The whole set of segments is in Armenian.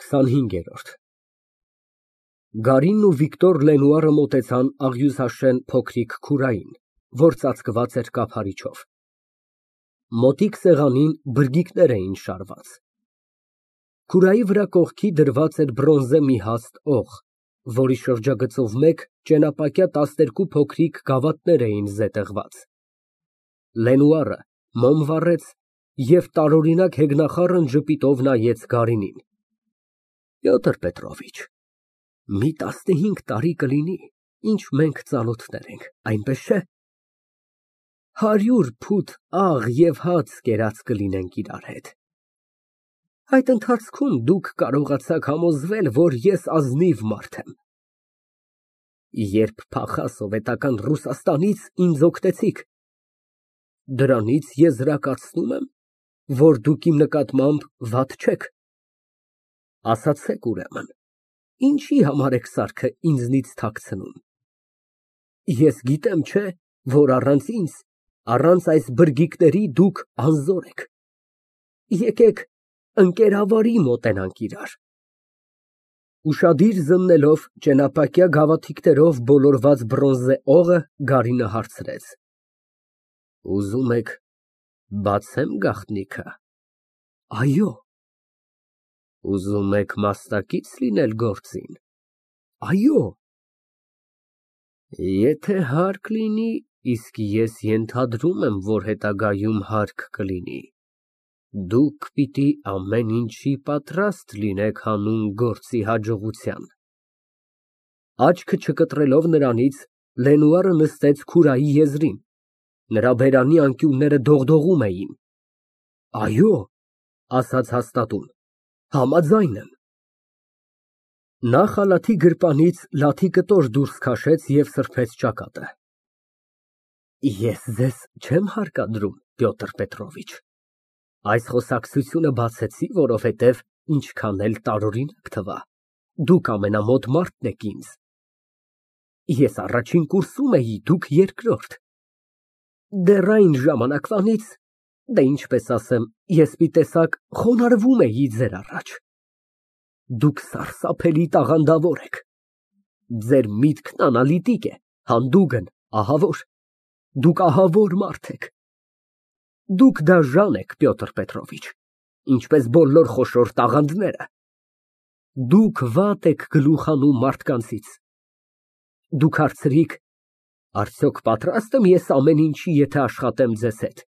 25։ Գարինն ու Վիկտոր Լենուարը մոտեցան աղյուսաշեն փոքրիկ քուրային, որ ծածկված էր կափարիչով։ Մոտիկ սեղանին բրգիկներ էին շարված։ Քուրայի վրա կողքի դրված էր բրոնզե մի հաստ օղ, որի շրջագծով մեկ ճենապակյա 12 փոքրիկ գավաթներ էին զետեղված։ Լենուարը մոմ վառեց և տարօրինակ հեգնախառն ժպիտով նայեց Գարինին։ Պյոտր Պետրովիչ, մի 15 տարի կլինի, ինչ մենք ծանոթներ ենք, այնպես չէ՞։ 100 փութ աղ և հաց կերած կլինենք իրար հետ։ Այդ ընթացքում դուք կարողացաք համոզվել, որ ես ազնիվ մարդ եմ։ Երբ փախա սովետական Ռուսաստանից, ինձ օգնեցիք։ Դրանից եզրակացնում եմ, որ դուք իմ նկատմամբ վատ չեք։ Ասացեք, ուրեմն, ինչի համար եք սարքը ինձնից թաքցնում։ Ես գիտեմ, չէ՞, որ առանց ինձ, առանց այս բրգիկների դուք անզոր եք։ Եկեք ընկերավարի մոտենանք իրար։ Ուշադիր զննելով ճենապակյա գավաթիկներով բոլորված բրոնզե օղը, Գարինը հարցրեց. Ուզում եք բացեմ գաղտնիքը։ Այո։ Ուզում եք մասնակից լինել գործին։ Այո։ Եթե հարկ լինի, իսկ ես ենթադրում եմ, որ հետագայում հարկ կլինի, դուք պիտի ամեն ինչի պատրաստ լինեք հանուն գործի հաջողության։ Աչքը չկտրելով նրանից, Լենուարը նստեց քուրայի եզրին, նրա բերանի անկյունները դողդողում էին։ Այո, ասաց հաստատուն, համաձայն եմ։ Նա խալաթի գրպանից լաթի կտոր դուրս քաշեց և սրբեց ճակատը։ Ես ձեզ չեմ հարկադրում, Պյոտր Պետրովիչ, այս խոսակցությունը բացեցի, որովհետև ինչքան էլ տարօրինակ թվա, դուք ամենամոտ մարդն եք ինձ։ Ես առաջին կուրսում էի, դուք երկրորդ։ Դեռ այն ժամանակվանից, դե ինչպես ասեմ, ես մի տեսակ խոնարհվում էի ձեր առաջ։ Դուք սարսափելի տաղանդավոր եք։ Ձեր միտքն անալիտիկ է, հանդուգն, ահավոր։ Դուք ահավոր մարդ եք։ Դուք դաժան եք, Պյոտր Պետրովիչ, ինչպես բոլոր խոշոր տաղանդները։ Դուք վատ եք գլուխ հանում մարդկանցից։ Դուք հարցրիք. արդյոք պատրաստ եմ ես ամեն ինչի, եթե աշխատեմ ձեզ հետ։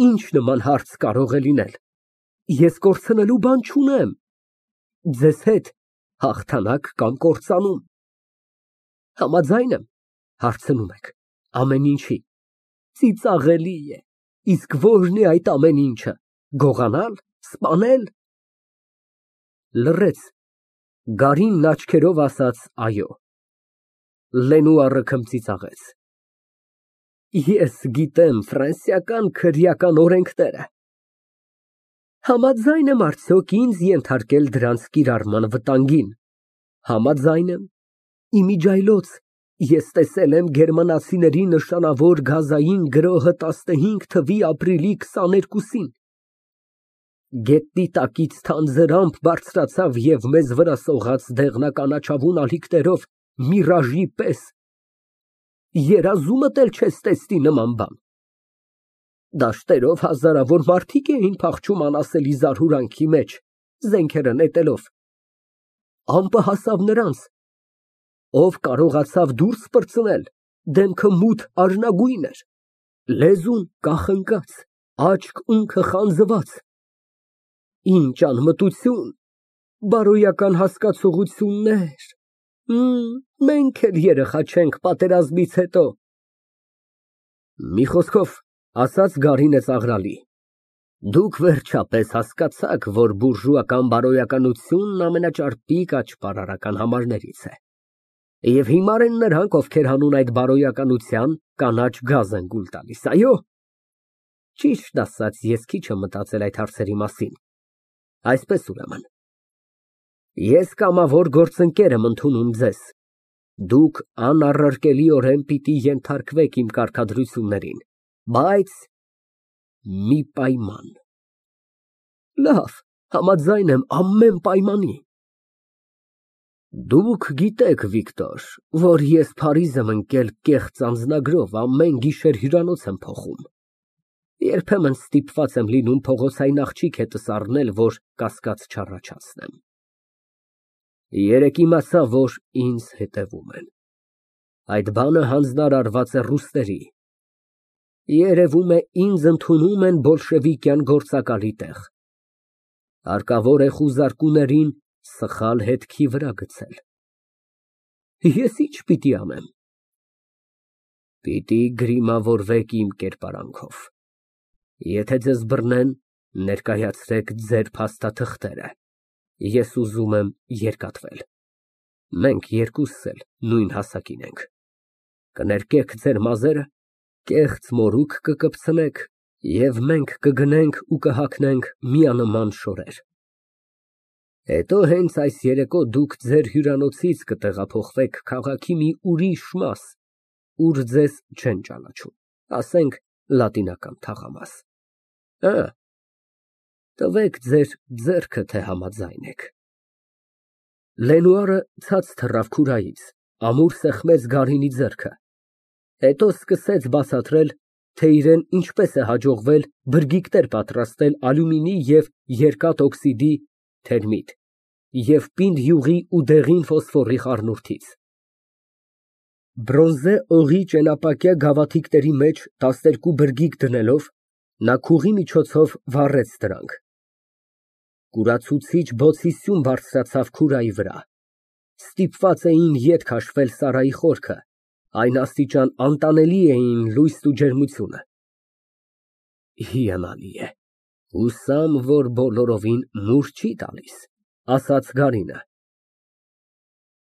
Ինչ նման հարց կարող է լինել։ Ես կորցնելու բան չունեմ։ Ձեզ հետ հաղթանակ կամ կործանում։ Համաձայն եմ, հարցնում եք, ամեն ինչի։ Ծիծաղելի է, իսկ ո՞րն է այդ ամեն ինչը, գողանալ, սպանել։ Լռեց, Գարինն աչքերով ասաց այո։ Լենուարը քմծիծաղեց։ Ես գիտեմ ֆրանսիական քրեական օրենքները։ Համաձայն եմ արդյոք ինձ ենթարկել դրանց կիրառման վտանգին։ Համաձայն եմ, իմիջիայլոց, ես տեսել եմ գերմանացիների նշանավոր գազային գրոհը 15 թվականի ապրիլի 22-ին։ Գետնի տակից թանձր ամպ բարձրացավ և մեզ վրա սողաց դեղնականաչավուն ալիքներով միրաժի պես։ Երազումդ էլ չես տեսնի նման բան։ Դաշտերով հազարավոր մարդիկ էին փախչում անասելի զարհուրանքի մեջ, զենքերը նետելով։ Ամպը հասավ նրանց։ Ով կարողացավ դուրս պրծնել, դեմքը մութ արյունագույն էր, լեզուն կախնկած, աչք ունքը խանձված։ Ինչ անմտություն, բարոյական հասկացողություններ։ Մենք էլ երեխա չենք պատերազմից հետո։ Մի խոսքով, ասաց Գարինը ծաղրալի, դուք վերջապես հասկացաք, որ բուրժուական բարոյականությունն ամենաճարպիկ աճպարարական համարներից է։ Եվ հիմար են նրանք, ովքեր հանուն այդ բարոյականության կանաչ գազ են գուլ տալիս, այո։ Ճիշտ ասած, ես քիչ եմ մտածել այդ հարցերի մասին։ Այսպես ուրեմն, ես կամավոր գործընկեր եմ ընդունում ձեզ։ Դուք անառարկելիորեն պիտի ենթարկվեք իմ կարգադրություններին, բայց մի պայման։ Լավ, Համաձայն եմ ամեն պայմանի։ Դուք գիտեք, Վիկտոր, որ ես Փարիզ եմ ընկել կեղծ անձնագրով, ամեն գիշեր հյուրանոց եմ փոխում։ Երբեմն ստիպված եմ լինում փողոցային աղջիկ հետս առնել, որ կասկած չառաջացնեմ։ Երեկ իմացա, որ ինձ հետևում են։ Այդ բանը հանձնարարված է ռուսների։ Երևում է, ինձ ընդունում են բոլշևիկյան գործակալի տեղ։ Հարկավոր է խուզարկուներին սխալ հետքի վրա գցել։ Ես ի՞նչ պիտի անեմ։ Պիտի գրիմավորվեք իմ կերպարանքով։ Եթե ձեզ բռնեն, ներկայացրեք ձեր փաստաթղթերը։ Ես ուզում եմ երկաթվել։ Մենք երկուսս էլ նույն հասակին ենք։ Կներկեք ձեր մազերը, կեղծ մորուք կկպցնեք, և մենք կգնենք ու կհագնենք միանման շորեր։ Հետո հենց այս երեկո դուք ձեր հյուրանոցից կտեղափոխվեք քաղաքի մի ուրիշ մաս, ուր ձեզ չեն ճանաչում, ասենք Լատինական թաղամաս։ Տվեք ձեր ձեռքը, թե համաձայն եք։ Լենուարը ցած թռավ քուրայից, ամուր սեղմեց Գարինի ձեռքը, հետո սկսեց բացատրել, թե իրան ինչպես է հաջողվել բրգիկներ պատրաստել ալյումինի և երկաթօքսիդի (թերմիտ) և պինդ յուղի ու դեղին ֆոսֆորի խառնուրդից։ Բրոնզե օղի ճենապակյա գավաթիկների մեջ 12 բրգիկ դնելով, նա քուղի միջոցով վառեց դրանք։ Կուրացուցիչ բոցի սյուն բարձրացավ քուրայի վրա։ Ստիպված էին ետ քաշվել Սարայի խորքը, այն աստիճան անտանելի էին լույսն ու ջերմությունը։ Հիանալի է, հուսամ, որ բոլորովին մուր չի տալիս, ասաց Գարինը։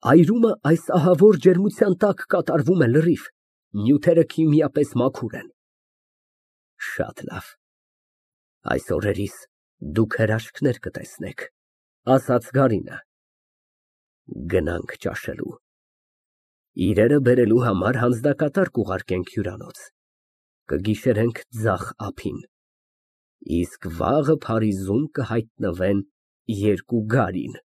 Այրումը այս ահավոր ջերմության տակ կատարվում է լրիվ, նյութերը քիմիապես մաքուր են։ Շատ լավ, այս օրերիս դուք հրաշքներ կտեսնեք, ասաց Գարինը։ Գնանք ճաշելու։ Իրերը բերելու համար հանձնակատար կուղարկենք հյուրանոց, կգիշերենք ձախ ափին, իսկ վաղը Փարիզում կհայտնվեն երկու Գարին։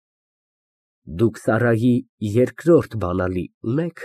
Դուք Սարայի երկրորդ բանալի ունե՞ք։